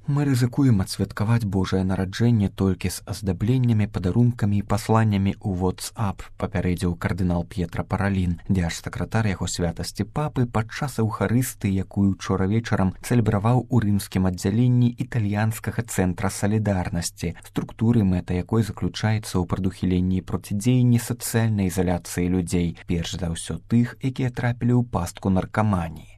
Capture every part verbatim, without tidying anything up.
Мы рызыкуем адсвяткаваць Божае нараджэнне толькі з аздабленнямі, падарункамі і пасланнямі ў WhatsApp, папярэдзіў кардынал П'етра Паралін, дзярж-сакратар яго святасці папы падчас эўхарысты, якую учора вечарам цэлебраваў у рымскім аддзяленні італьянскага цэнтра салідарнасці, структуры, мэта якой заключаецца ў прадухіленні і процідзеянні сацыяльнай ізаляцыі людзей, перш за ўсё тых, якія трапілі ў пастку наркаманіі.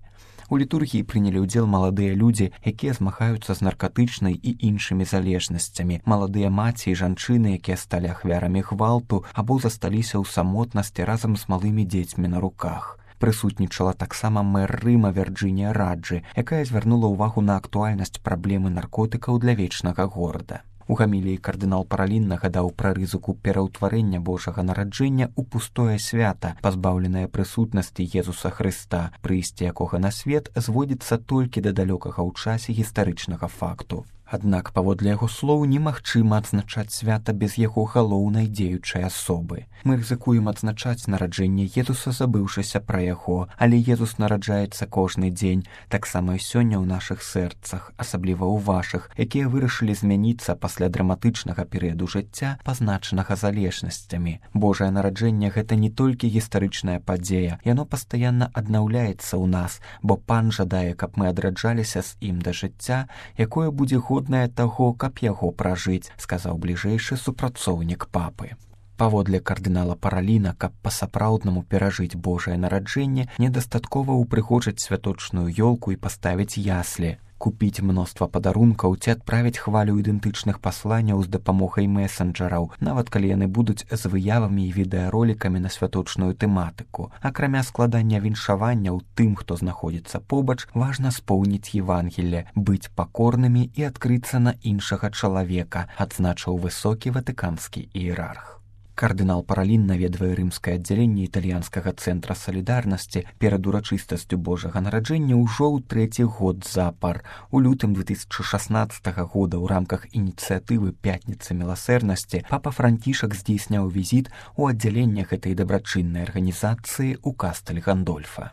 У літургіі прынялі ўдзел маладыя людзі, якія змагаюцца з наркатычнай і іншымі залежнасцямі, маладыя маці і жанчыны, якія сталі ахвярамі гвалту або засталіся ў самотнасці разам з малымі дзецьмі на руках. Прысутнічала таксама мэр Рыма Вірджынія Раджы, якая звярнула ўвагу на актуальнасць праблемы наркотыкаў для вечнага горада. У гаміліі кардынал Паралін нагадаў пра рызыку пераўтварэння Божага нараджэння ў пустое свята, пазбаўленае прысутнасці Езуса Хрыста, прыйсце якога на свет зводзіцца толькі да далёкага ў часе гістарычнага факту. Аднак, паводле яго слоў, немагчыма адзначаць свята без яго галоўнай дзеючай асобы. Мы рызыкуем адзначаць нараджэнне Езуса, забыўшыся пра яго, але Езус нараджаецца кожны дзень, таксама і сёння ў нашых сэрцах, асабліва ў вашых, якія вырашылі змяніцца пасля драматычнага перыяду жыцця, пазначанага залежнасцямі. Божае нараджэнне — гэта не толькі гістарычная падзея, яно пастаянна аднаўляецца ў нас, бо Пан жадае, каб мы адраджаліся з ім да жыцця, якое будзе годнае таго, каб яго пражыць, сказаў бліжэйшы супрацоўнік папы. Паводле кардынала Параліна, каб па-сапраўднаму перажыць Божае нараджэнне, недастаткова ўпрыгожыць святочную ёлку і паставіць яслі, купіць мноства падарункаў ці адправіць хвалю ідэнтычных пасланняў з дапамогай месенджераў, нават калі яны будуць з выявамі і відэаролікамі на святочную тэматыку. Акрамя складання віншаванняў тым, хто знаходзіцца побач, важна споўніць Евангелле, быць пакорнымі і адкрыцца на іншага чалавека, адзначыў высокі ватыканскі іерарх. Кардынал Паралін наведвае рымскае аддзяленне італьянскага цэнтра салідарнасці перад урачыстасцю Божага нараджэння ўжо ў трэці год запар. У лютым две тысячи шаснаццатага года ў рамках ініцыятывы «Пятніца міласэрнасці» папа Францішак здзейсняў візіт у аддзяленне гэтай дабрачыннай арганізацыі ў Кастэль Гандольфа.